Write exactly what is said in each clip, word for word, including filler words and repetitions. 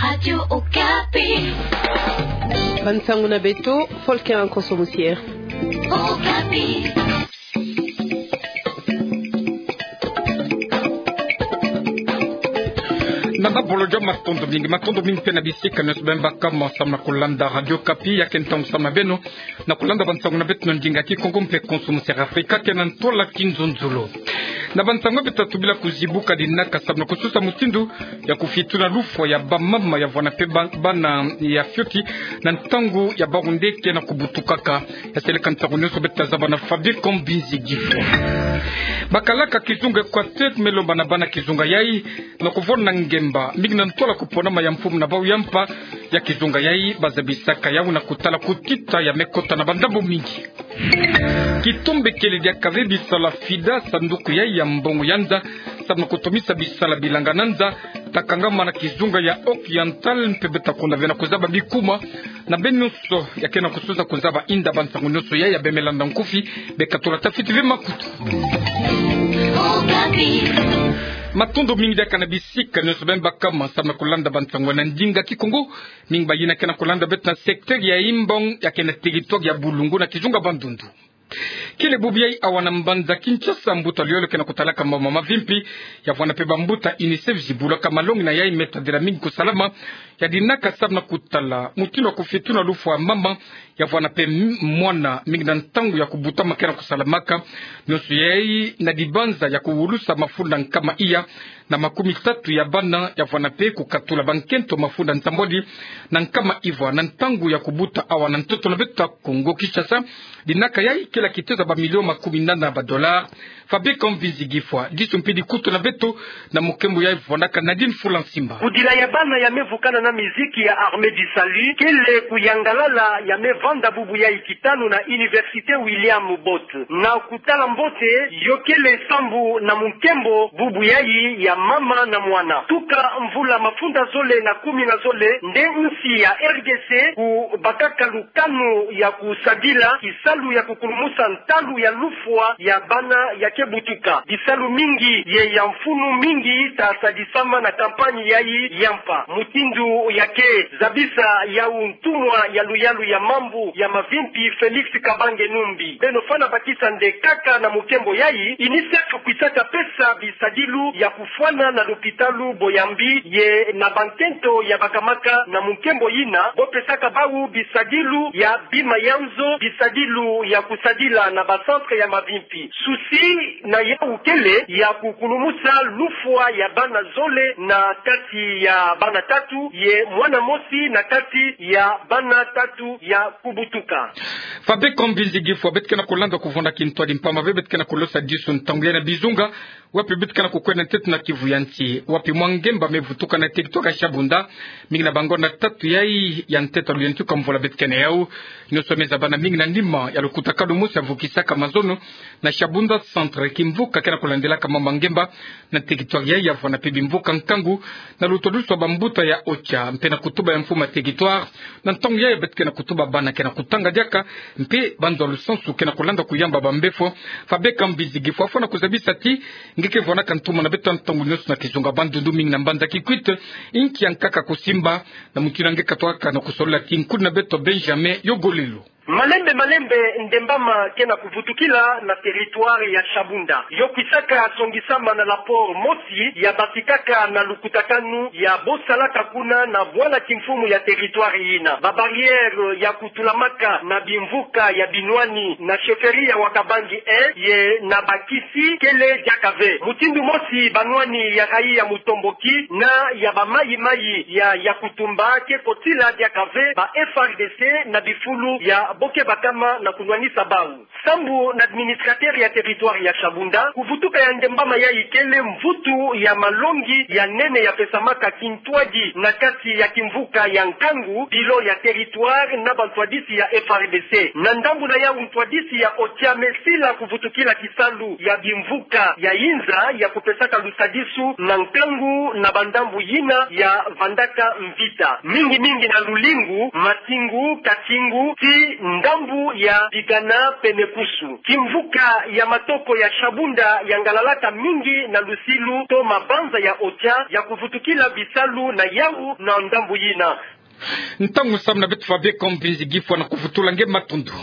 Radio Okapi. Bansango na beto, Volker Nkonso Musiere. Okapi. Nana bolojo, matondo mingi, matondo mingi mpe na bisika nyonso beno baka mo samu na kulanda Radio Okapi, ya ke ntangu samu na beno na kulanda bansango na beto na ndinga Kikongo mpe Nkonso Musiere Afrika, ke na ntwala Kinzonzolo. Na bansango beto tubila kuzibuka dinaka samu na kusosa mutindu ya kufituna lufwa ya bamama ya vwana mpe ba-, bana ya fioti na ntangu ya bawu nde ke na kubutukaka. Ya seleka ntangu nyonso beto zaba na Fabien Kambinzi Gifwa. Bakalaka kizunga Equateur me lomba na bana kizunga yai na kuvona ngemba mingi na ntwala kuponama ya mfumu na bawu ya mpa ya kizunga yai, bazabisaka yawu na kutala kutita ya me kota na bandambu mingi. Kitombekele diaka ve bisala FIDA, sanduku yai ya mbongo ya nza samu na kutomisa bisala bilanga na nza, ta kangama na kizunga ya Occidental, mpe beto ta konda ve na kuzaba bikuma na beno nyonso ya ke na kusosa kuzaba inda bansango nyonso yai. Ya beno me landa nkufi, beka tula tafiti ve makutu. Matondo mingi diaka na bisika nyonso beno baka mo samu na kulanda bansango na ndinga Kikongo. Mingi bayina ke na kulanda beto na secteur ya Imbong, ya ke na territoire ya Boulungu na kizunga Bandundu. Kele bubu yai awa na mbanza Kinshasa, mbuta luyolo ke na kutalaka mama mavimpi ya vwana mpe bambuta UNICEF zibulaka malongi na yai me tadila mingi kusalama ya dinaka samu na kutala mutindu ya kufituna lufwa mama ya vwana mpe m-, mwana mingi na ntangu ya kubutama ke na kusalamaka. Nyonso yai na dibanza ya kuwulusa mafunda nkama iya na makumi tatu ya bana ya vwana mpe kukatula bankento mafunda nsambwadi na nkama ivwa na ntangu ya kubuta awa na ntoto na beto ya Kongo Kinshasa. Dinaka yai kele ya kitezo ba millions makumi nana ba dollars. Fabien Kambinzi Gifwa, disu mpe dikutu na beto na mukembo yai vwandaka Nadine Fulansimba. Kudila ya bana ya me vukana na miziki ya Armée du Salut kele kuyangalala ya me vanda bubu yai kitanu na Université William Bott. Na kutala mbote, yo kele sambu na mukembo bubu yai ya mama na mwana. Tuka mvula mafunda zole na kumi na zole nde nsi ya R D C kubakaka lukanu ya kusadila kisalu ya kukulumusa ntalu ya lufwa ya bana ya ke butuka. Bisalu mingi ye ya mfunu mingi ta sadisama na campagne yai ya mpa. Mutindu ya ke zabisa yawu ntumwa ya luyalu ya mambu ya mavimpi Félix Kabange Numbi. Beno fwana bakisa nde kaka na mukembo yai, UNICEF kwisaka pesa bisadilu ya kufwana na lopitalu Boyambi ye na bankento ya bakamaka na mukembo yina, bo pesaka bawu bisadilu ya bima ya nzo, bisadilu ya kusadila na ba centre ya mavimpi. Souci na yawu kele ya kukulumusa lufwa ya bana zole na kati ya bana tatu ye mwana mosi na kati ya bana tatu ya kubutuka. Fabien Kambinzi Gifwa, beto ke na kulanda kuvunda kintwadi mpamba ve beto ke na kulosa disu ntangu yai na bizunga wapi beto ke na kukwenda ntete na Kivu ya nsi, wapi mwa ngemba me vutuka na territoire ya Shabunda, mingi na bangonda tatu yai ya ntete ya luyantika mvula beto ke na yawu. Nyonso me zabana mingi na nima ya lukutakanu mosi ya vukisaka mazono na Shabunda Centre, kimvuka ke na kulandilaka mama ngemba na territoire yai ya vwana mpe bimvuka nkangu na lutwadusu wa bambuta ya OCHA, mpe na kutuba ya mfumu ya territoire. Na ntangu yai beto ke na kutuba bana ke na kutanga diaka, mpe banzwa lusansu ke na kulanda kuyamba bambefo. Fabien Kambinzi Gifwa, fwana kuzabisa ti nge ke vwanaka ntuma na beto ntangu nyonso na kizunga Bandundu, mingi na mbanza Kikwit, inki ya nkaka kusimba, na mutindu nge ke twaka na kusolola ti nkudi na beto Benjamin Yogolelo. Malembe malembe ndembama ke na kuvutukila na territoire ya Shabunda. Yo kwisaka songisama na rapport mosi ya batikaka na lukutakanu ya bo salaka kuna na bwala kimfumu ya territoire yina. Ba barrières ya kutulamaka na bimvuka ya binwani na chefferie ya Wakabangi un ye na Bakisi kele diaka ve. Mutindu mosi banwani ya rayi ya Mutomboki na ya ba mayi-mayi ya Yakutumba ke kotila diaka ve ba F A R D C na bifulu ya bo ke bakama na kunwanisa bawu. Sambu na administrateur ya territoire ya Shabunda, kuvutuka ya ndembama yai kele mvutu ya malongi ya nene ya pesamaka kintwadi na kati ya kimvuka ya nkangu, bilan ya territoire na bantwadisi ya F A R D C. Na ndambu na yawu ntwadisi ya OCHA me sila kuvutukila kisalu ya bimvuka ya inza ya kupesaka lusadisu na nkangu na bandambu yina ya vandaka mvita, mingi mingi na Lulingu, Matingu, Katingu, ti Ndambu ya Bigana pene Kusu. Kimvuka ya matoko ya Shabunda yangalalaka mingi na lusilu to mabanza ya Ocha ya kuvutukila bisalu na yau na ndambu yina. Ntangu samu na beto fabeko mvinzi gifwa na kuvutula nge matundu.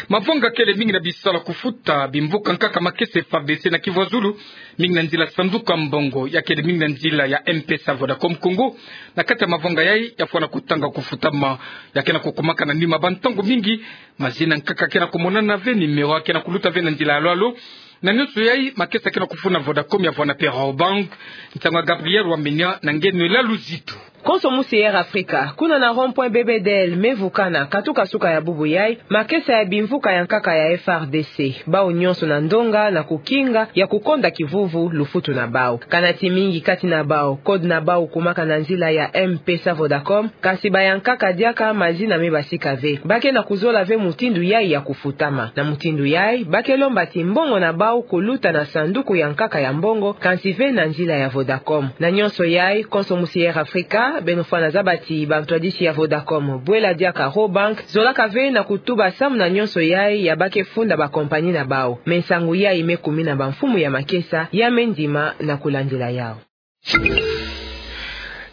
Mavanga kele mingi na bisalu ya kufuta bimvuka nkaka makesa F R D C na Kivu ya Zulu, mingi na nzila sanduku ya mbongo, ya kele mingi na nzila ya M-Pesa Vodacom Congo. Na kati ya mavanga yai, ya fwana kutanga kufutama, ya ke na kukumaka na nima bantangu mingi, mazina nkaka ke na kumonana ve, numéro ke na kuluta ve na nzila ya lwalo. Na nyonso yai, makesa ke na kufuna Vodacom ya fwana pe Rabobank. Nsangu ya Gabriel Wamenya na nge Noëlla Luzitu. Konso musi Air Africa, kuna na rond-point B B D L, me vukana, katuka suka ya bubu yai, makesa ya bimvuka ya nkaka ya F R D C, bau nyonso na ndonga na kukinga ya kukonda kivuvu lufutu na bau. Kana ti mingi kati na bau, code na bau kumaka na nzila ya M-Pesa Vodacom, kasi ba ya nkaka diaka mazina me basika ve. Ba ke na kuzola ve mutindu yai ya kufutama. Na mutindu yai, ba ke lomba ti mbongo na bau kuluta na sanduku ya nkaka ya mbongo, kasi ve na nzila ya Vodacom. Na nyonso yai, konso musi Air Africa, beno fwana zaba ti bantwadisi ya Vodacom, bwela diaka Rabobank, zolaka ve na kutuba samu na nyonso yai ya ba ke funda ba compagnie na bau. Me nsangu yai me kumina bamfumu ya makesa, ya me ndima na kulandila yau.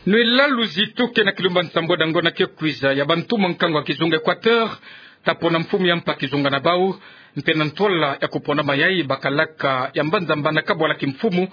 Noëlla Luzitu ke na kilumba nsambwadi ya ngonda ke kwiza ya bantumwa nkangu ya kizunga Équateur, ta pona mfumu ya mpa kizunga na bau, mpe na ntwala ya kuponama yai bakalaka ya mbanza mbana kabwala kimfumu,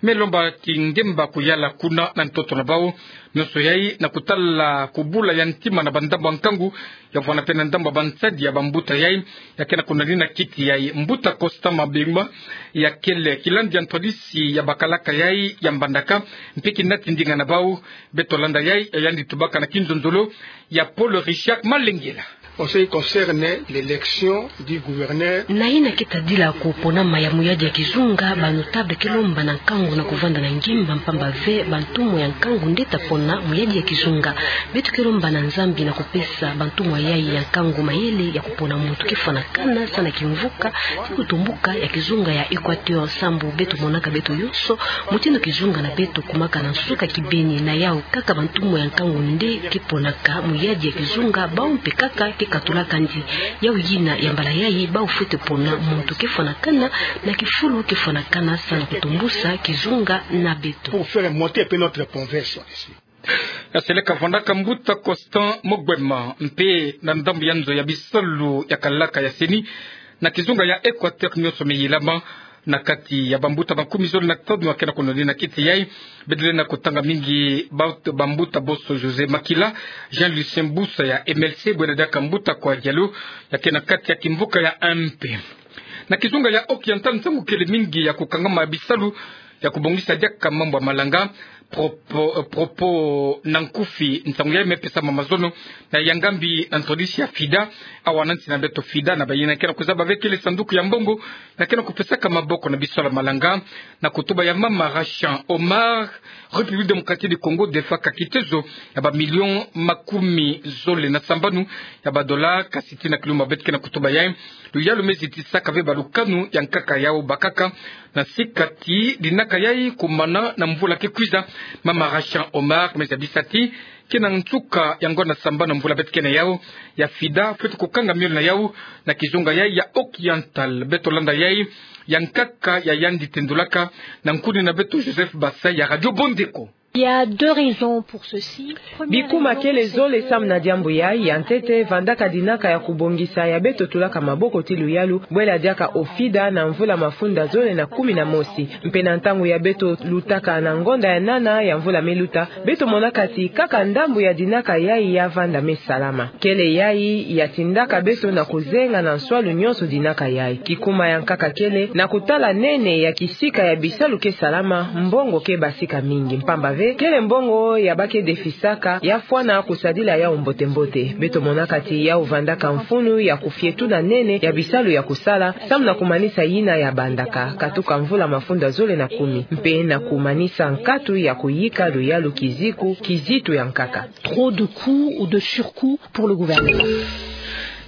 me lomba kingemba kuyala kuna na ntoto na bau, nyonso yai na kutala kubula ya ntima na bandambu ya nkangu, ya fwana pe na ndambu ya bansadi ya bambuta yai, ya ke na kunanina kiti yai. Mbuta Constant Mabemba, ya kele kilandi ya ntwadisi ya bakalaka yai ya mbandaka, mpe kinati ndinga na bau, beto landa yai, ya yandi tubaka na kinzonzolo ya Paul Richard Malengela. En ce qui concerne l'élection du gouverneur. Na yina ke tadila kuponama ya muyadi ya kizunga, ba notable ke lomba na nkangu na kuvanda na ngemba mpamba ve bantumwa ya nkangu nde ta pona muyadi ya kizunga. Beto ke lomba na Nzambi na kupesa bantumwa yai ya nkangu mayele ya kupona muntu ke fwanakana sa na kimvuka ti kutumbuka ya kizunga ya Équateur, sambu beto monaka beto yonso mutindu kizunga na beto kumaka na nsuka kibeni. Na yau kaka bantumwa ya nkangu nde ke ponaka muyadi ya kizunga, bau mpe kaka ke katulaka ndi. Yau yina ya mbala yai, bau fwete pona muntu ke fwanakana na kifulu ke fwanakana sa na kutumbusa kizunga na beto. Pour faire monter un peu notre conversion ici. Ya seleka vandaka mbuta Constant Mogbema, mpe na ndambu ya nzo ya bisalu ya kalaka ya CENI na kizunga ya Équateur, nyonso me yilama na kati ya bambuta makumi zole na tanu ya ke na kunonina kiti yai. Bedele na kutanga mingi bambuta boso José Makila, Jean Lucien Busa ya MLC, bwela diaka mbuta Kwa Diallo, ya ke na kati ya kimvuka ya MP. Na kizunga ya Occidental, nsangu kele mingi ya kukangama ya bisalu ya kubongisa diaka mambu ya malanga, propos, eh, propos na nkufi, nsangu yai me pesama mazono na ya ngambi na ntwadisi ya FIDA. Awa na nsi na beto FIDA, na bayina ke na kuzaba ve kele sanduku ya mbongo ya ke na kupesaka maboko na bisalu ya malanga, na kutuba ya mama Rachan Omar, République Démocratique du Congo defaka kitezo ya ba millions makumi zole na sambanu ya ba dollars, kasi tii na kilumbu beto ke na kutuba yai, luyalu me zitisaka ve balukanu ya nkaka yau bakaka, na sika ti dinaka yai kumana na mvula ke kwiza. Mama Rachan Omar me zabisa ti ke na nsuka ya ngonda sambanu na mvula beto ke na yau, ya FIDA fwete kukanga miolo na yau na kizunga yai ya Occidental. Beto landa yai, ya nkaka ya yandi tendulaka na nkuni na beto Joseph Basai ya Radio Bondeko. Il y a deux raisons pour ceci. Première raison, c'est que... Bikuma kele zole samu na diambu yai. Ya ntete, vandaka dinaka ya kubongisa ya beto tulaka maboko ti luyalu, bwela diaka FIDA na mvula mafunda zole na kumi na mosi. Mpe na ntangu ya beto lutaka na ngonda ya nana ya mvula me luta, beto monaka ti kaka ndambu ya dinaka yai ya vanda me salama. Kele yai ya tindaka beto na kuzenga na nswalu nyonso dinaka yai. Kikuma ya nkaka kele, na kutala nene ya kisika ya bisalu ke salama, mbongo ke basika mingi. Mpamba ve, kele mbongo ya ba ke defisaka ya fwana kusadila yau mbote-mbote. Beto monaka ti yau vandaka mfunu ya kufietuna nene ya bisalu ya kusala, samu na kumanisa yina ya bandaka, katuka mvula mafunda zole na kumi, mpe na kumanisa nkatu ya kuyika luyalu kiziku, kizitu ya nkaka. Trop de coûts ou de surcoûts pour le gouvernement.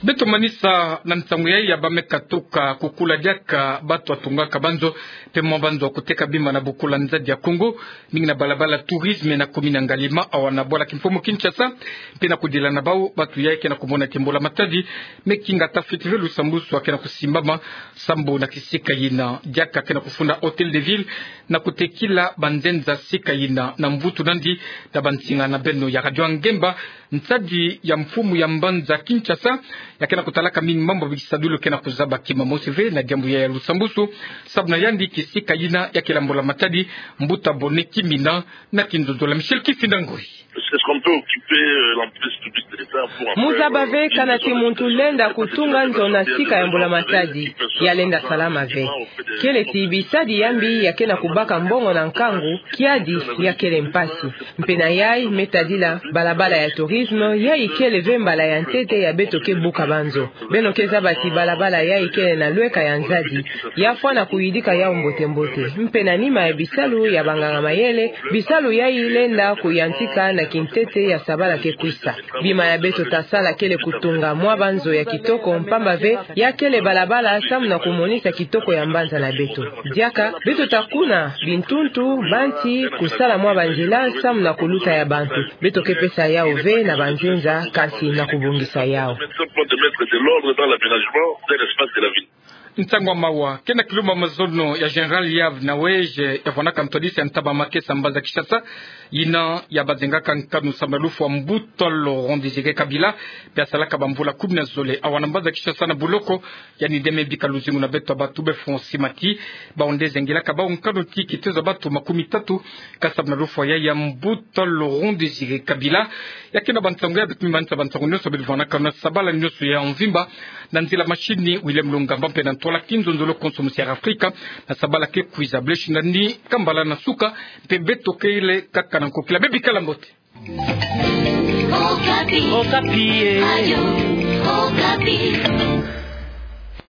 Beto manisa na nsangu yai ya bameka tuka kukula diaka bato atungaka banzo mpe mwa banzo ya kuteka bima na bokula nzadi ya Kongo, mingi na balabala tourisme na commune ya Ngaliema, awa na bwala kimfumu Kinshasa. Mpe na kudila na bau, bato yai ke na kumona ete mbula matadi me kinga ta fiti ve lusambusu ya ke na kusimbama sambu na kisika yina. Diaka ke na kufunda Hôtel de Ville na kutekila banzenza sika yina. Na mvutu nandi na bansinga na beno ya Radio Ngemba, nsadi ya mfumu ya mbanza Kinshasa ya ke na kutalaka mingi mambu ya bikisadulu ke na kuzaba kima mosi ve na diambu ya, ya lusambusu. Sabu na yandi kisika yina ya kela mbula matadi mbuta bone kimina na kinzonzolo. Michel Kifinda Ngoi. Est-ce qu'on peut occuper, euh, l'emprise publique de l'État pour en faire, euh... Mu zaba ve kana ti muntu lenda kutunga nzo na sika ya mbula matadi, ya lenda salama ve. Kele ti bisadi ya mbi ya ke na kubaka mbongo na nkangu, kiadi ya kele mpasi. Mpe na yai me tadila balabala ya tourisme, yai kele ve mbala ya ntete ya beto ke buka banzo. Beno ke zaba ti balabala yai kele na lweka ya nzadi, ya fwana kuyidika yau mbote-mbote. Mpe na nima ya bisalu ya banganga-mayele, bisalu yai lenda kuyantika na kintete ya sabala ke kwisa. Bima ya beto ta sala kele kutunga mwa banzo ya kitoko, mpamba ve ya kele balabala samu na kumonisa kitoko ya mbanza na beto. Diaka beto ta kuna bintuntu, banti, kusala mwa banzila samu na kuluta ya bantu. Beto ke pesa yau ve na banzenza, kasi na kubongisa yau. Nsangu ya mawa ke na kilumba mazono ya Général Yavne Naouedj, ya vwanaka ntwadisi ya ntaba makesa mbanza Kinshasa, yina ya bazengaka nkanu samu na lufwa mbuta Laurent Désiré Kabila, mpe asalaka bamvula kumi na zole awa na mbanza Kinshasa na boloko. Yandi nde me bika luzingu na beto ya bato be Francis Mati. Bau nde zengilaka bau nkanu ti kitezo ya bato makumi tatu ka samu na lufwa ya ya mbuta Laurent Désiré Kabila. Ya ke na bansangu ya beto me manisa bansangu nyonso beto vwanaka na sabala nyonso ya mvimba. Na nzila machine, William Lungamba, mpe na ntwala kinzonzolo konso musi ya Afrika, na sabala ke kwiza. Blaise Nandi Kambala na suka, mpe beto kele kaka na nkokila. Be bikala mbote. Okapi. Okapi, eh. Radio Okapi.